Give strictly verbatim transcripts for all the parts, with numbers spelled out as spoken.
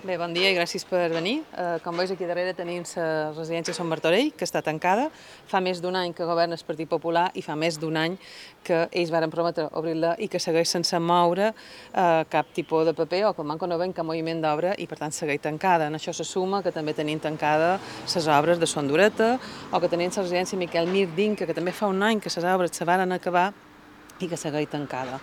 Bé, bon dia i gràcies per venir. Eh, com veus, aquí darrere tenim la residència Sant Martorell, que està tancada. Fa més d'un any que governa el Partit Popular i fa més d'un any que ells varen prometre obrir-la i que segueix sense moure eh, cap tipus de paper o que manco no ven cap moviment d'obra i per tant segueix tancada. En això se suma que també tenim tancada les obres de Son Dureta o que tenim la residència Miquel Mir d'Inca, que també fa un any que les obres se varen acabar i que segueix tancada.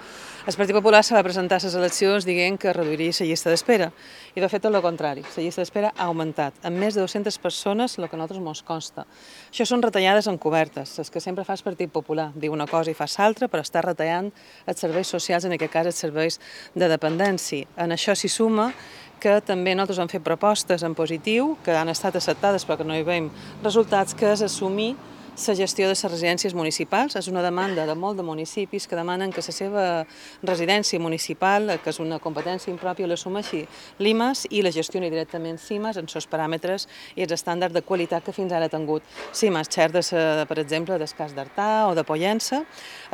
El Partit Popular se va presentar a les eleccions dient que reduiria la llista d'espera i de fet tot el contrari, la llista d'espera ha augmentat amb més de dues-centes persones, el que a nosaltres ens consta. Això són retallades encobertes, les que sempre fa el Partit Popular, diu una cosa i fa l'altra, però està retallant els serveis socials, en aquest cas els serveis de dependència. En això s'hi suma que també nosaltres hem fet propostes en positiu, que han estat acceptades però que no hi veiem resultats, que és assumir la gestió de les residències municipals. És una demanda de molt de municipis que demanen que la seva residència municipal, que és una competència impròpia, l'assumeixi l'I M A S i la gestioni directament l'I M A S en els paràmetres i els estàndards de qualitat que fins ara ha tingut l'I M A S, xert, de, per exemple, del cas d'Artà o de Pollença.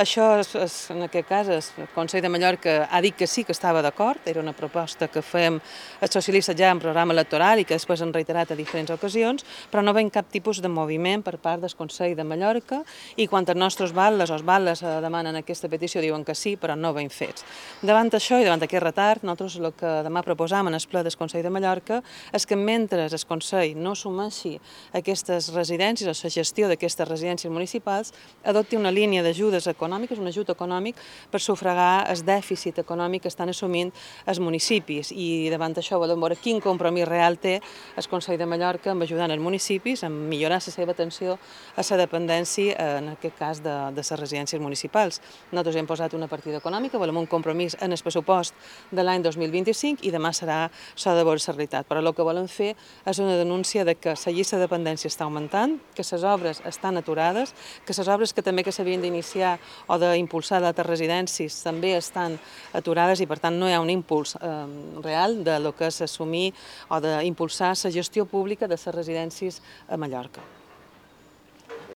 Això, és, és, en aquest cas, el Consell de Mallorca ha dit que sí que estava d'acord, era una proposta que fem els socialistes ja en programa electoral i que després han reiterat a diferents ocasions, però no veiem cap tipus de moviment per part del Consell de Mallorca i quan els nostres batlles o els batlles demanen aquesta petició diuen que sí, però no ben fets. Davant això i davant aquest retard, nosaltres el que demà proposam en el ple del Consell de Mallorca és que mentre el Consell no assumeixi aquestes residències o la gestió d'aquestes residències municipals, adopti una línia d'ajudes econòmiques, un ajut econòmic per sufragar el dèficit econòmic que estan assumint els municipis i davant això volem veure quin compromís real té el Consell de Mallorca amb ajudar els municipis, amb millorar la seva atenció a la dependència, en aquest cas, de, de les residències municipals. Nosaltres hem posat una partida econòmica, volem un compromís en el pressupost de l'any dos mil vint-i-cinc i demà serà s'ha de veure la realitat. Però el que volem fer és una denúncia de que la llista de dependència està augmentant, que les obres estan aturades, que les obres que també que s'havien d'iniciar o d'impulsar d'altres residències també estan aturades i per tant no hi ha un impuls eh, real de lo que és assumir o d'impulsar la gestió pública de les residències a Mallorca.